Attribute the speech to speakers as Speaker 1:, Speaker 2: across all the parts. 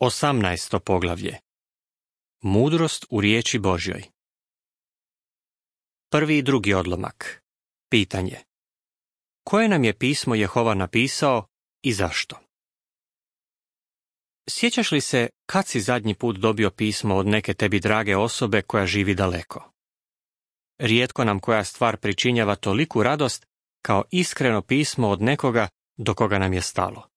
Speaker 1: 18. poglavlje. Mudrost u riječi Božjoj. Prvi i drugi odlomak. Pitanje. Koje nam je pismo Jehova napisao i zašto? Sjećaš li se kad si zadnji put dobio pismo od neke tebi drage osobe koja živi daleko? Rijetko nam koja stvar pričinjava toliku radost kao iskreno pismo od nekoga do koga nam je stalo.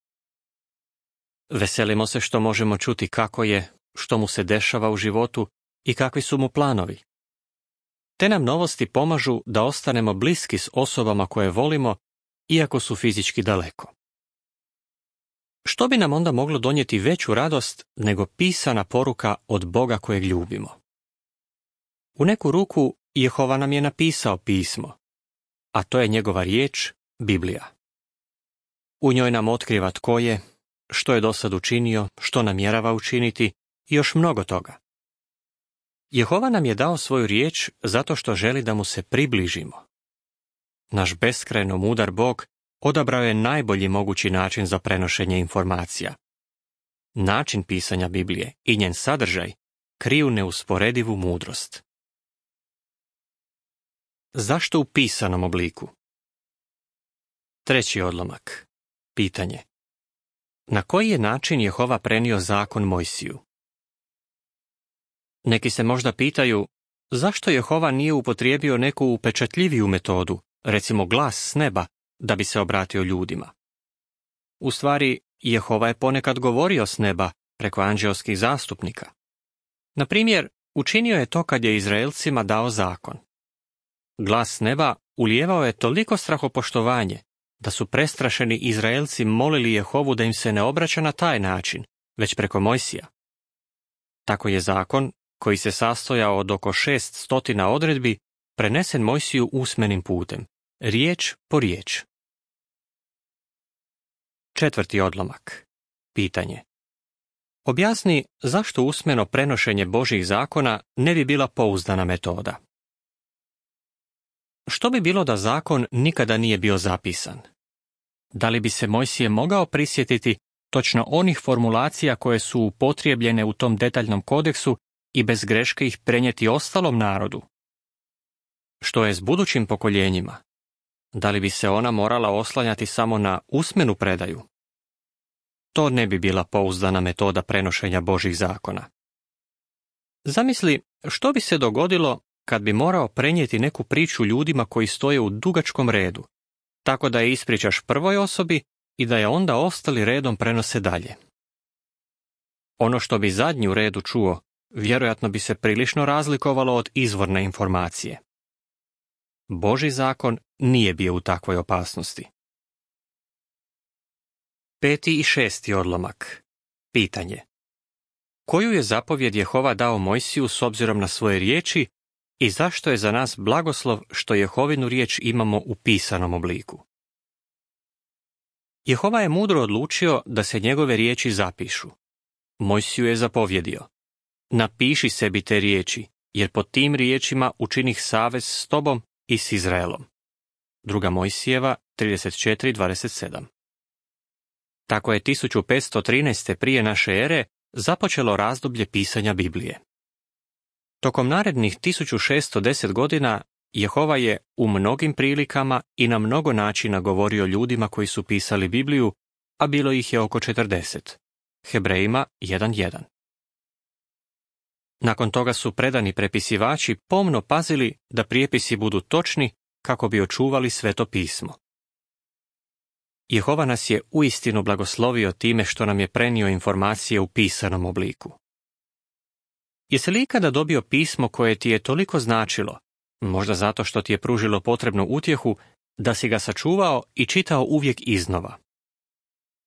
Speaker 1: Veselimo se što možemo čuti kako je, što mu se dešava u životu i kakvi su mu planovi. Te nam novosti pomažu da ostanemo bliski s osobama koje volimo, iako su fizički daleko. Što bi nam onda moglo donijeti veću radost nego pisana poruka od Boga kojeg ljubimo? U neku ruku Jehova nam je napisao pismo, a to je njegova riječ, Biblija. U njoj nam otkriva tko je, što je dosad učinio, što namjerava učiniti i još mnogo toga. Jehova nam je dao svoju riječ zato što želi da mu se približimo. Naš beskrajno mudar Bog odabrao je najbolji mogući način za prenošenje informacija. Način pisanja Biblije i njen sadržaj kriju neusporedivu mudrost. Zašto u pisanom obliku? Treći odlomak. Pitanje. Na koji je način Jehova prenio zakon Mojsiju? Neki se možda pitaju, zašto Jehova nije upotrijebio neku upečatljiviju metodu, recimo glas s neba, da bi se obratio ljudima? U stvari, Jehova je ponekad govorio s neba preko anđeoskih zastupnika. Na primjer, učinio je to kad je Izraelcima dao zakon. Glas s neba ulijevao je toliko strahopoštovanje da su prestrašeni Izraelci molili Jehovu da im se ne obraća na taj način, već preko Mojsija. Tako je zakon, koji se sastojao od oko 600 odredbi, prenesen Mojsiju usmenim putem, riječ po riječ. Četvrti odlomak. Pitanje. Objasni zašto usmeno prenošenje Božjih zakona ne bi bila pouzdana metoda. Što bi bilo da zakon nikada nije bio zapisan? Da li bi se Mojsije mogao prisjetiti točno onih formulacija koje su upotrijebljene u tom detaljnom kodeksu i bez greške ih prenijeti ostalom narodu? Što je s budućim pokoljenjima? Da li bi se ona morala oslanjati samo na usmenu predaju? To ne bi bila pouzdana metoda prenošenja Božjih zakona. Zamisli što bi se dogodilo kad bi morao prenijeti neku priču ljudima koji stoje u dugačkom redu, tako da je ispričaš prvoj osobi i da je onda ostali redom prenose dalje. Ono što bi zadnji u redu čuo, vjerojatno bi se prilično razlikovalo od izvorne informacije. Božji zakon nije bio u takvoj opasnosti. Peti i šesti odlomak. Pitanje. Koju je zapovjed Jehova dao Mojsiju s obzirom na svoje riječi i zašto je za nas blagoslov što Jehovinu riječ imamo u pisanom obliku? Jehova je mudro odlučio da se njegove riječi zapišu. Mojsiju je zapovjedio: napiši sebi te riječi, jer pod tim riječima učinih savez s tobom i s Izraelom. 2. Mojsijeva 34:27. Tako je 1513. prije naše ere započelo razdoblje pisanja Biblije. Tokom narednih 1610 godina Jehova je u mnogim prilikama i na mnogo načina govorio ljudima koji su pisali Bibliju, a bilo ih je oko 40. Hebrejima 1:1. Nakon toga su predani prepisivači pomno pazili da prijepisi budu točni kako bi očuvali Sveto pismo. Jehova nas je uistinu blagoslovio time što nam je prenio informacije u pisanom obliku. Jesi li ikada dobio pismo koje ti je toliko značilo, možda zato što ti je pružilo potrebnu utjehu, da si ga sačuvao i čitao uvijek iznova?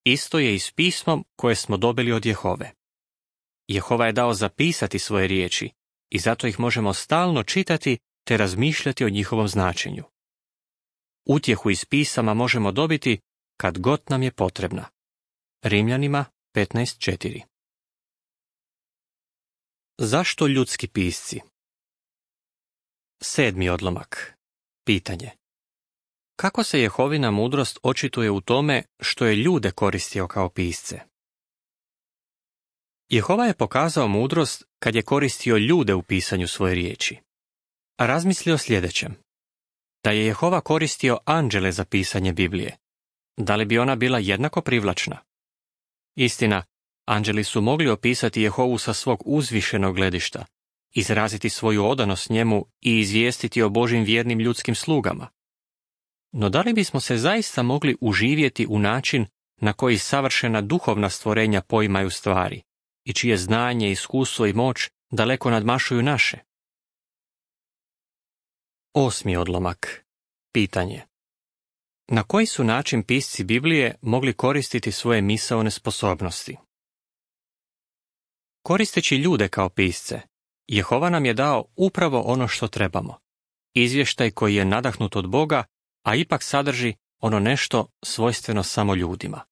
Speaker 1: Isto je i s pismom koje smo dobili od Jehove. Jehova je dao zapisati svoje riječi i zato ih možemo stalno čitati te razmišljati o njihovom značenju. Utjehu iz pisama možemo dobiti kad god nam je potrebna. Rimljanima 15:4. Zašto ljudski pisci? Sedmi odlomak. Pitanje. Kako se Jehovina mudrost očituje u tome što je ljude koristio kao pisce? Jehova je pokazao mudrost kad je koristio ljude u pisanju svoje riječi. A razmisli o sljedećem. Da je Jehova koristio anđele za pisanje Biblije, da li bi ona bila jednako privlačna? Istina, anđeli su mogli opisati Jehovu sa svog uzvišenog gledišta, izraziti svoju odanost njemu i izvijestiti o Božjim vjernim ljudskim slugama. No da li bismo se zaista mogli uživjeti u način na koji savršena duhovna stvorenja poimaju stvari i čije znanje, iskustvo i moć daleko nadmašuju naše? 8. odlomak. Pitanje. Na koji su način pisci Biblije mogli koristiti svoje misaone sposobnosti? Koristeći ljude kao pisce, Jehova nam je dao upravo ono što trebamo. Izvještaj koji je nadahnut od Boga, a ipak sadrži ono nešto svojstveno samo ljudima.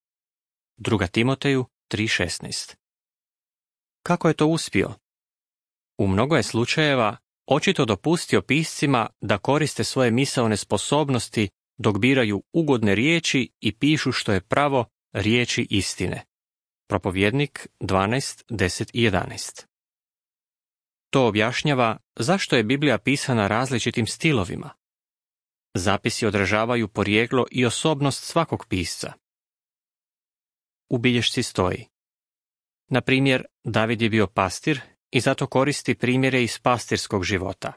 Speaker 1: 2. Timoteju 3.16. Kako je to uspio? U mnogo je slučajeva očito dopustio piscima da koriste svoje misaone sposobnosti dok biraju ugodne riječi i pišu što je pravo riječi istine. Propovjednik 12.10 i 11. To objašnjava zašto je Biblija pisana različitim stilovima. Zapisi odražavaju porijeklo i osobnost svakog pisca. U bilješci stoji: na primjer, David je bio pastir i zato koristi primjere iz pastirskog života.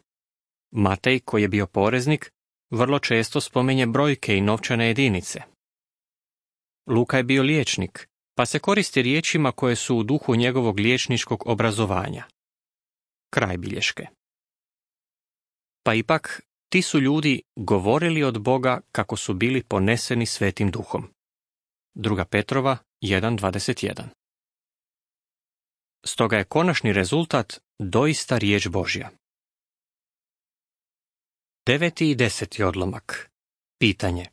Speaker 1: Matej, koji je bio poreznik, vrlo često spominje brojke i novčane jedinice. Luka je bio liječnik, pa se koristi riječima koje su u duhu njegovog liječničkog obrazovanja. Kraj bilješke. Pa ipak, ti su ljudi govorili od Boga kako su bili poneseni Svetim Duhom. 2. Petrova 1.21. Stoga je konačni rezultat doista riječ Božja. 9. i 10. odlomak. Pitanje.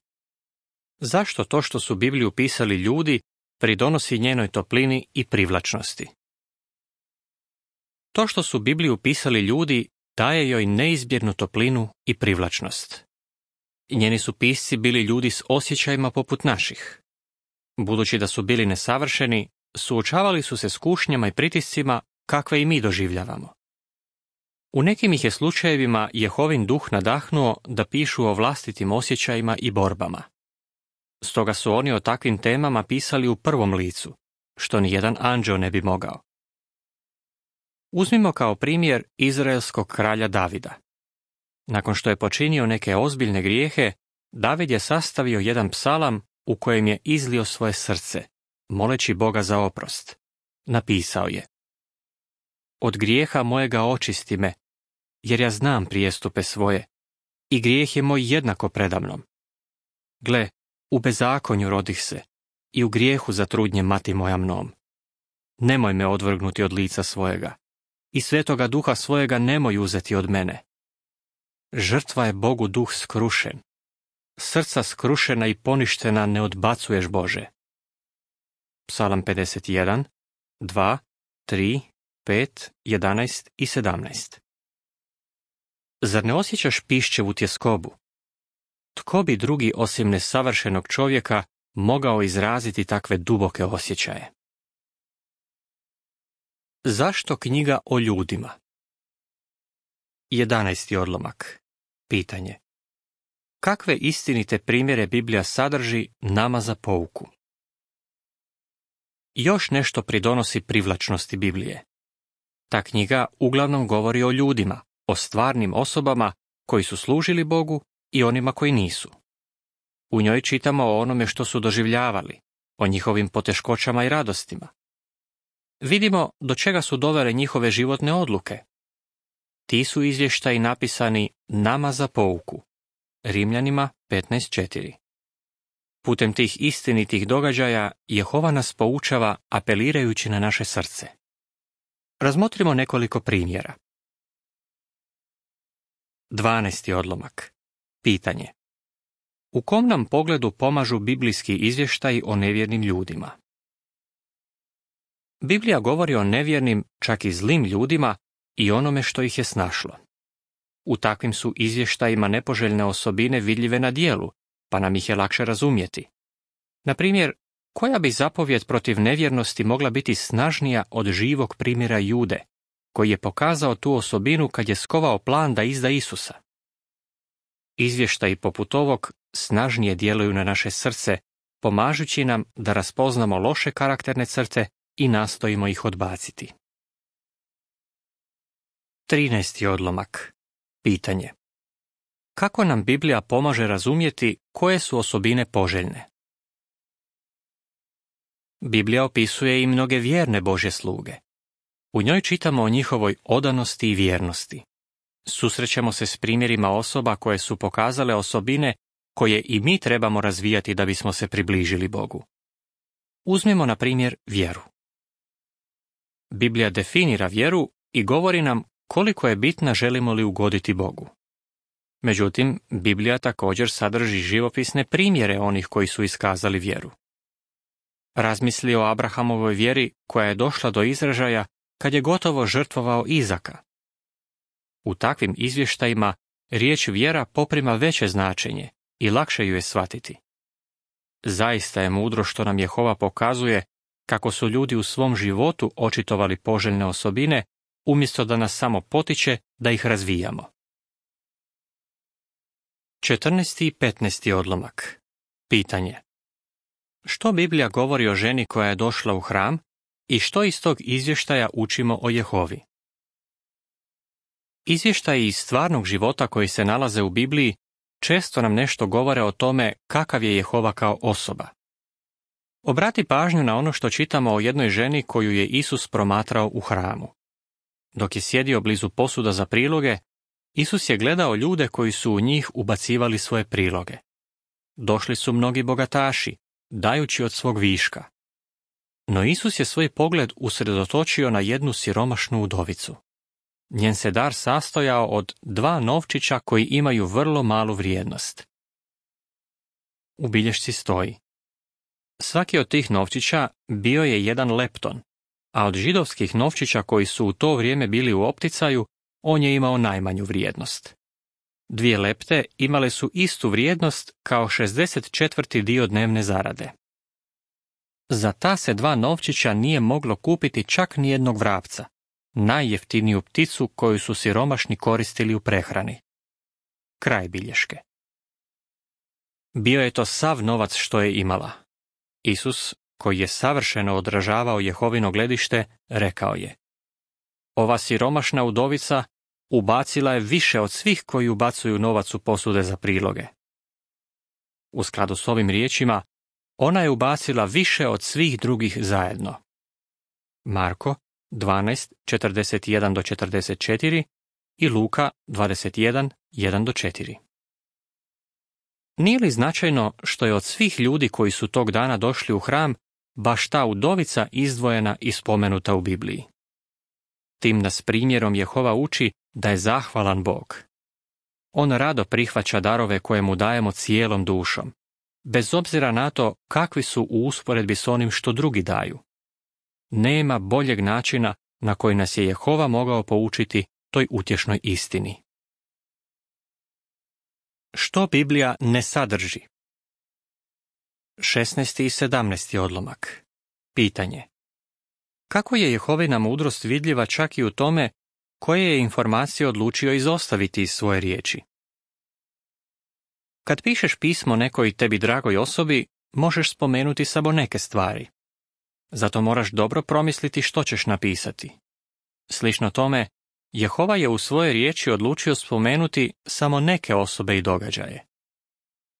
Speaker 1: Zašto to što su Bibliju pisali ljudi pridonosi njenoj toplini i privlačnosti? To što su Bibliju pisali ljudi daje joj neizbjegnu toplinu i privlačnost. Njeni su pisci bili ljudi s osjećajima poput naših. Budući da su bili nesavršeni, suočavali su se s kušnjama i pritiscima kakve i mi doživljavamo. U nekim ih je slučajevima Jehovin duh nadahnuo da pišu o vlastitim osjećajima i borbama. Stoga su oni o takvim temama pisali u prvom licu, što nijedan anđeo ne bi mogao. Uzmimo kao primjer izraelskog kralja Davida. Nakon što je počinio neke ozbiljne grijehe, David je sastavio jedan psalam u kojem je izlio svoje srce, moleći Boga za oprost. Napisao je: od grijeha mojega očisti me, jer ja znam prijestupe svoje, i grijeh je moj jednako predamnom. Gle, u bezakonju rodih se, i u grijehu zatrudnje mati moja mnom. Nemoj me odvrgnuti od lica svojega, i svetoga duha svojega nemoj uzeti od mene. Žrtva je Bogu duh skrušen. Srca skrušena i poništena ne odbacuješ, Bože. Psalam 51, 2, 3, 5, 11 i 17. Zar ne osjećaš pišćevu tjeskobu? Tko bi drugi osim nesavršenog čovjeka mogao izraziti takve duboke osjećaje? Zašto knjiga o ljudima? 11. odlomak. Pitanje. Kakve istinite primjere Biblija sadrži nama za pouku? Još nešto pridonosi privlačnosti Biblije. Ta knjiga uglavnom govori o ljudima, o stvarnim osobama koji su služili Bogu i onima koji nisu. U njoj čitamo o onome što su doživljavali, o njihovim poteškoćama i radostima. Vidimo do čega su dovele njihove životne odluke. Ti su izvještaji napisani nama za pouku. Rimljanima 15.4. Putem tih istinitih događaja Jehova nas poučava apelirajući na naše srce. Razmotrimo nekoliko primjera. 12. odlomak. Pitanje. U kom nam pogledu pomažu biblijski izvještaji o nevjernim ljudima? Biblija govori o nevjernim, čak i zlim ljudima i onome što ih je snašlo. U takvim su izvještajima nepoželjne osobine vidljive na djelu, pa nam ih je lakše razumjeti. Na primjer, koja bi zapovjed protiv nevjernosti mogla biti snažnija od živog primjera Jude, koji je pokazao tu osobinu kad je skovao plan da izda Isusa? Izvještaji poput ovog snažnije djeluju na naše srce, pomažući nam da raspoznamo loše karakterne crte i nastojimo ih odbaciti. 13. odlomak. Pitanje. Kako nam Biblija pomaže razumjeti koje su osobine poželjne? Biblija opisuje i mnoge vjerne Božje sluge. U njoj čitamo o njihovoj odanosti i vjernosti. Susrećemo se s primjerima osoba koje su pokazale osobine koje i mi trebamo razvijati da bismo se približili Bogu. Uzmimo na primjer vjeru. Biblija definira vjeru i govori nam koliko je bitna želimo li ugoditi Bogu. Međutim, Biblija također sadrži živopisne primjere onih koji su iskazali vjeru. Razmisli o Abrahamovoj vjeri koja je došla do izražaja kad je gotovo žrtvovao Izaka. U takvim izvještajima riječ vjera poprima veće značenje i lakše ju je shvatiti. Zaista je mudro što nam Jehova pokazuje kako su ljudi u svom životu očitovali poželjne osobine, umjesto da nas samo potiče da ih razvijamo. 14. i 15. odlomak. Pitanje. Što Biblija govori o ženi koja je došla u hram i što iz tog izvještaja učimo o Jehovi? Izvještaji iz stvarnog života koji se nalaze u Bibliji često nam nešto govore o tome kakav je Jehova kao osoba. Obrati pažnju na ono što čitamo o jednoj ženi koju je Isus promatrao u hramu. Dok je sjedio blizu posuda za priloge, Isus je gledao ljude koji su u njih ubacivali svoje priloge. Došli su mnogi bogataši, dajući od svog viška. No Isus je svoj pogled usredotočio na jednu siromašnu udovicu. Njen se dar sastojao od 2 novčića koji imaju vrlo malu vrijednost. U bilješci stoji: svaki od tih novčića bio je 1 lepton, a od židovskih novčića koji su u to vrijeme bili u opticaju, on je imao najmanju vrijednost. 2 lepte imale su istu vrijednost kao 64. dio dnevne zarade. Za ta se 2 novčića nije moglo kupiti čak ni jednog vrapca, najjeftiniju pticu koju su siromašni koristili u prehrani. Kraj bilješke. Bio je to sav novac što je imala. Isus, koji je savršeno odražavao Jehovino gledište, rekao je: ova siromašna udovica ubacila je više od svih koji ubacuju novac u posude za priloge. U skladu s ovim riječima, ona je ubacila više od svih drugih zajedno. Marko 12, 41-44 i Luka 21, 1-4. Nije li značajno što je od svih ljudi koji su tog dana došli u hram, baš ta udovica izdvojena i spomenuta u Bibliji? Tim nas primjerom Jehova uči da je zahvalan Bog. On rado prihvaća darove koje mu dajemo cijelom dušom, bez obzira na to kakvi su u usporedbi s onim što drugi daju. Nema boljeg načina na koji nas je Jehova mogao poučiti toj utješnoj istini. Što Biblija ne sadrži? 16. i 17. odlomak. Pitanje. Kako je Jehovina mudrost vidljiva čak i u tome koje je informacije odlučio izostaviti iz svoje riječi? Kad pišeš pismo nekoj tebi dragoj osobi, možeš spomenuti samo neke stvari. Zato moraš dobro promisliti što ćeš napisati. Slično tome, Jehova je u svojoj riječi odlučio spomenuti samo neke osobe i događaje.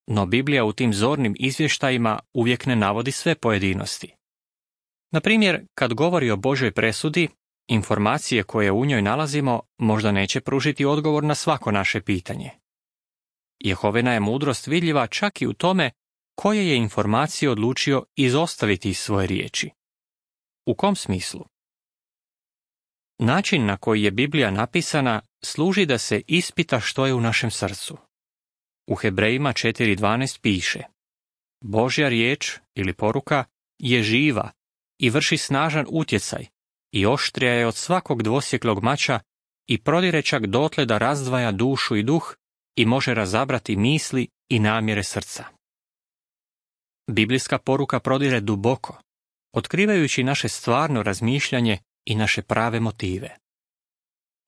Speaker 1: No Biblija u tim zornim izvještajima uvijek ne navodi sve pojedinosti. Na primjer, kad govori o Božoj presudi, informacije koje u njoj nalazimo možda neće pružiti odgovor na svako naše pitanje. Jehovina je mudrost vidljiva čak i u tome koje je informacije odlučio izostaviti iz svoje riječi. U kom smislu? Način na koji je Biblija napisana služi da se ispita što je u našem srcu. U Hebrejima 4.12 piše: Božja riječ ili poruka je živa i vrši snažan utjecaj i oštrija je od svakog dvosjeklog mača i prodire čak dotle da razdvaja dušu i duh i može razabrati misli i namjere srca. Biblijska poruka prodire duboko, otkrivajući naše stvarno razmišljanje i naše prave motive.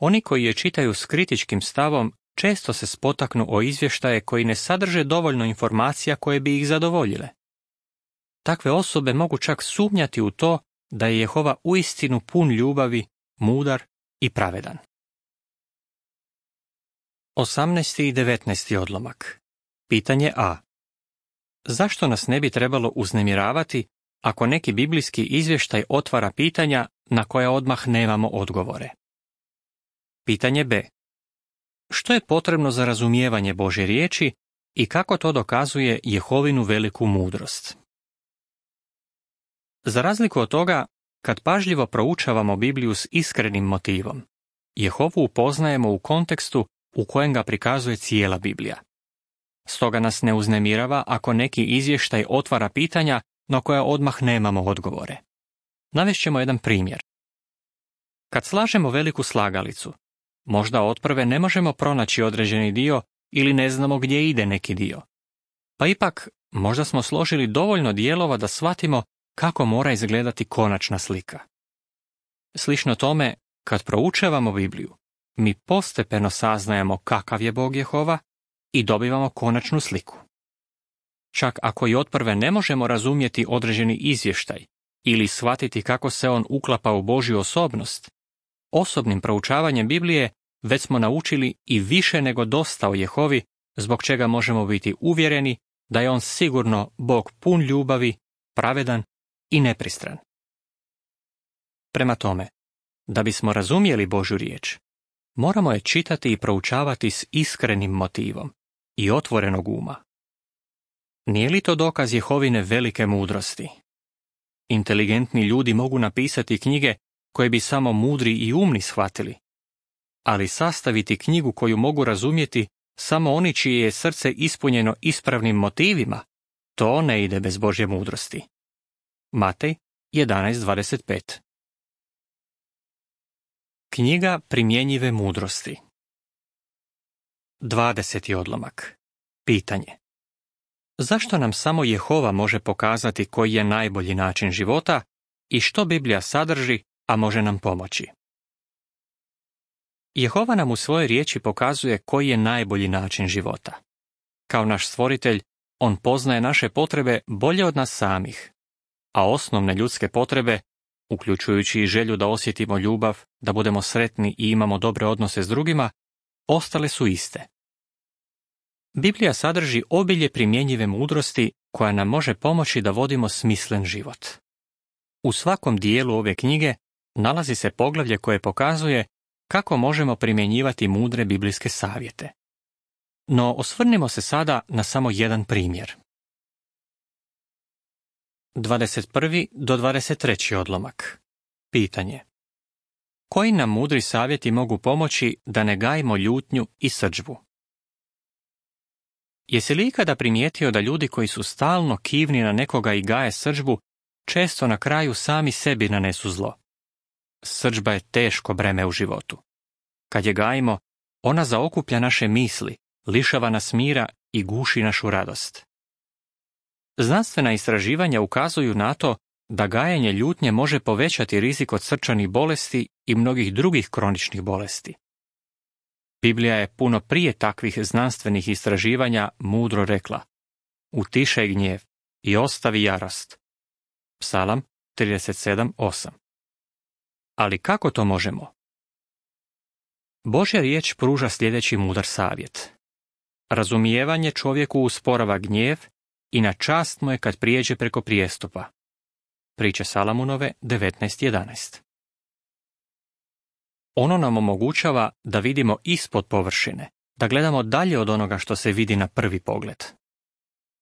Speaker 1: Oni koji je čitaju s kritičkim stavom često se spotaknu o izvještaje koji ne sadrže dovoljno informacija koje bi ih zadovoljile. Takve osobe mogu čak sumnjati u to da je Jehova uistinu pun ljubavi, mudar i pravedan. 18. i 19. odlomak. Pitanje A. Zašto nas ne bi trebalo uznemiravati ako neki biblijski izvještaj otvara pitanja na koja odmah nemamo odgovore? Pitanje B. Što je potrebno za razumijevanje Božje riječi i kako to dokazuje Jehovinu veliku mudrost? Za razliku od toga, kad pažljivo proučavamo Bibliju s iskrenim motivom, Jehovu upoznajemo u kontekstu u kojem ga prikazuje cijela Biblija. Stoga nas ne uznemirava ako neki izvještaj otvara pitanja na koja odmah nemamo odgovore. Navešćemo jedan primjer. Kad slažemo veliku slagalicu, možda otprve ne možemo pronaći određeni dio ili ne znamo gdje ide neki dio. Pa ipak, možda smo složili dovoljno dijelova da shvatimo kako mora izgledati konačna slika. Slično tome, kad proučavamo Bibliju, mi postepeno saznajemo kakav je Bog Jehova i dobivamo konačnu sliku. Čak ako i otprve ne možemo razumjeti određeni izvještaj ili shvatiti kako se on uklapa u Božju osobnost, osobnim proučavanjem Biblije već smo naučili i više nego dosta o Jehovi, zbog čega možemo biti uvjereni da je on sigurno Bog pun ljubavi, pravedan i nepristran. Prema tome, da bismo razumjeli Božju riječ, moramo je čitati i proučavati s iskrenim motivom i otvorenog uma. Nije li to dokaz Jehovine velike mudrosti? Inteligentni ljudi mogu napisati knjige koje bi samo mudri i umni shvatili, ali sastaviti knjigu koju mogu razumjeti samo oni čije je srce ispunjeno ispravnim motivima, to ne ide bez Božje mudrosti. Matej 11.25. Knjiga primjenjive mudrosti. 20. odlomak. Pitanje. Zašto nam samo Jehova može pokazati koji je najbolji način života i što Biblija sadrži, a može nam pomoći? Jehova nam u svojoj riječi pokazuje koji je najbolji način života. Kao naš stvoritelj, on poznaje naše potrebe bolje od nas samih, a osnovne ljudske potrebe, uključujući i želju da osjetimo ljubav, da budemo sretni i imamo dobre odnose s drugima, ostale su iste. Biblija sadrži obilje primjenjive mudrosti koja nam može pomoći da vodimo smislen život. U svakom dijelu ove knjige nalazi se poglavlje koje pokazuje kako možemo primjenjivati mudre biblijske savjete. No osvrnimo se sada na samo jedan primjer. 21. do 23. odlomak. Pitanje. Koji nam mudri savjeti mogu pomoći da ne gajimo ljutnju i srdžbu? Jesi li ikada primijetio da ljudi koji su stalno kivni na nekoga i gaje srdžbu, često na kraju sami sebi nanesu zlo? Srdžba je teško breme u životu. Kad je gajimo, ona zaokuplja naše misli, lišava nas mira i guši našu radost. Znanstvena istraživanja ukazuju na to da gajenje ljutnje može povećati rizik od srčanih bolesti i mnogih drugih kroničnih bolesti. Biblija je puno prije takvih znanstvenih istraživanja mudro rekla: utišaj gnjev i ostavi jarost. Psalam 37.8. Ali kako to možemo? Božja riječ pruža sljedeći mudar savjet. Razumijevanje čovjeku usporava gnjev i na čast mu je kad prijeđe preko prijestupa. Priče Salamunove 19.11. Ono nam omogućava da vidimo ispod površine, da gledamo dalje od onoga što se vidi na prvi pogled.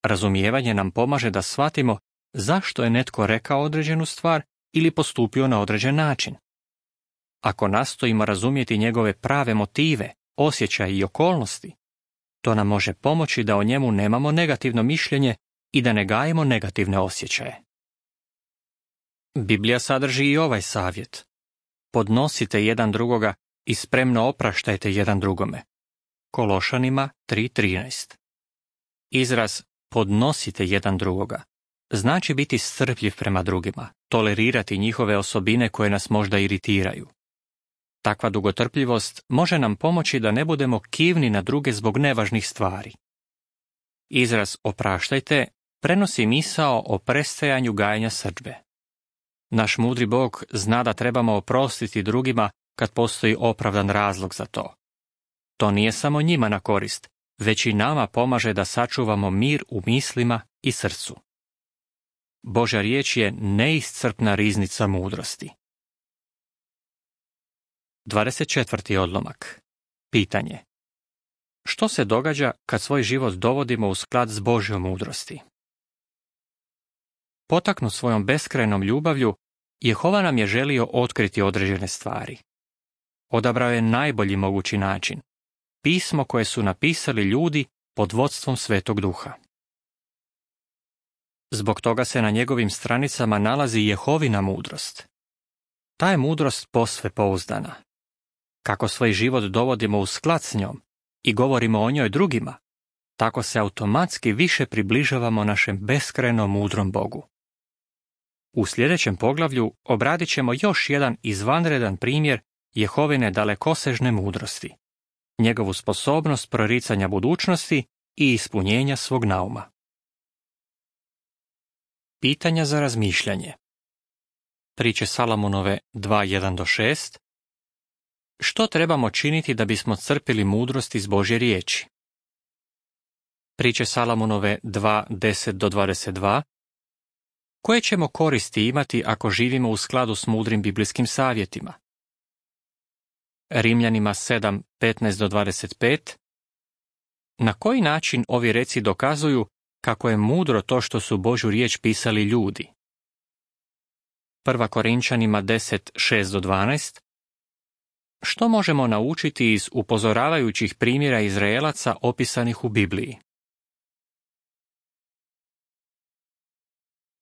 Speaker 1: Razumijevanje nam pomaže da shvatimo zašto je netko rekao određenu stvar ili postupio na određen način. Ako nastojimo razumjeti njegove prave motive, osjećaje i okolnosti, to nam može pomoći da o njemu nemamo negativno mišljenje i da ne gajimo negativne osjećaje. Biblija sadrži i ovaj savjet. Podnosite jedan drugoga i spremno opraštajte jedan drugome. Kološanima 3.13. Izraz podnosite jedan drugoga znači biti strpljiv prema drugima, tolerirati njihove osobine koje nas možda iritiraju. Takva dugotrpljivost može nam pomoći da ne budemo kivni na druge zbog nevažnih stvari. Izraz opraštajte prenosi misao o prestajanju gajenja srdbe. Naš mudri Bog zna da trebamo oprostiti drugima kad postoji opravdan razlog za to. To nije samo njima na korist, već i nama pomaže da sačuvamo mir u mislima i srcu. Božja riječ je neiscrpna riznica mudrosti. 24. odlomak. Pitanje. Što se događa kad svoj život dovodimo u sklad s Božjom mudrosti? Potaknut svojom beskrajnom ljubavlju, Jehova nam je želio otkriti određene stvari. Odabrao je najbolji mogući način, pismo koje su napisali ljudi pod vodstvom Svetog Duha. Zbog toga se na njegovim stranicama nalazi Jehovina mudrost. Ta je mudrost posve pouzdana. Kako svoj život dovodimo u sklad s njom i govorimo o njoj drugima, tako se automatski više približavamo našem beskrajno mudrom Bogu. U sljedećem poglavlju obradit ćemo još jedan izvanredan primjer Jehovine dalekosežne mudrosti, njegovu sposobnost proricanja budućnosti i ispunjenja svog nauma. Pitanja za razmišljanje. Priče Salamunove 2:1-6. Što trebamo činiti da bismo crpili mudrost iz Božje riječi? Priče Salamunove 2:10-22. Koje ćemo koristi imati ako živimo u skladu s mudrim biblijskim savjetima? Rimljanima 7:15-25. Na koji način ovi reci dokazuju kako je mudro to što su Božju riječ pisali ljudi? 1. Korinčanima 10:6-12. Što možemo naučiti iz upozoravajućih primjera Izraelaca opisanih u Bibliji?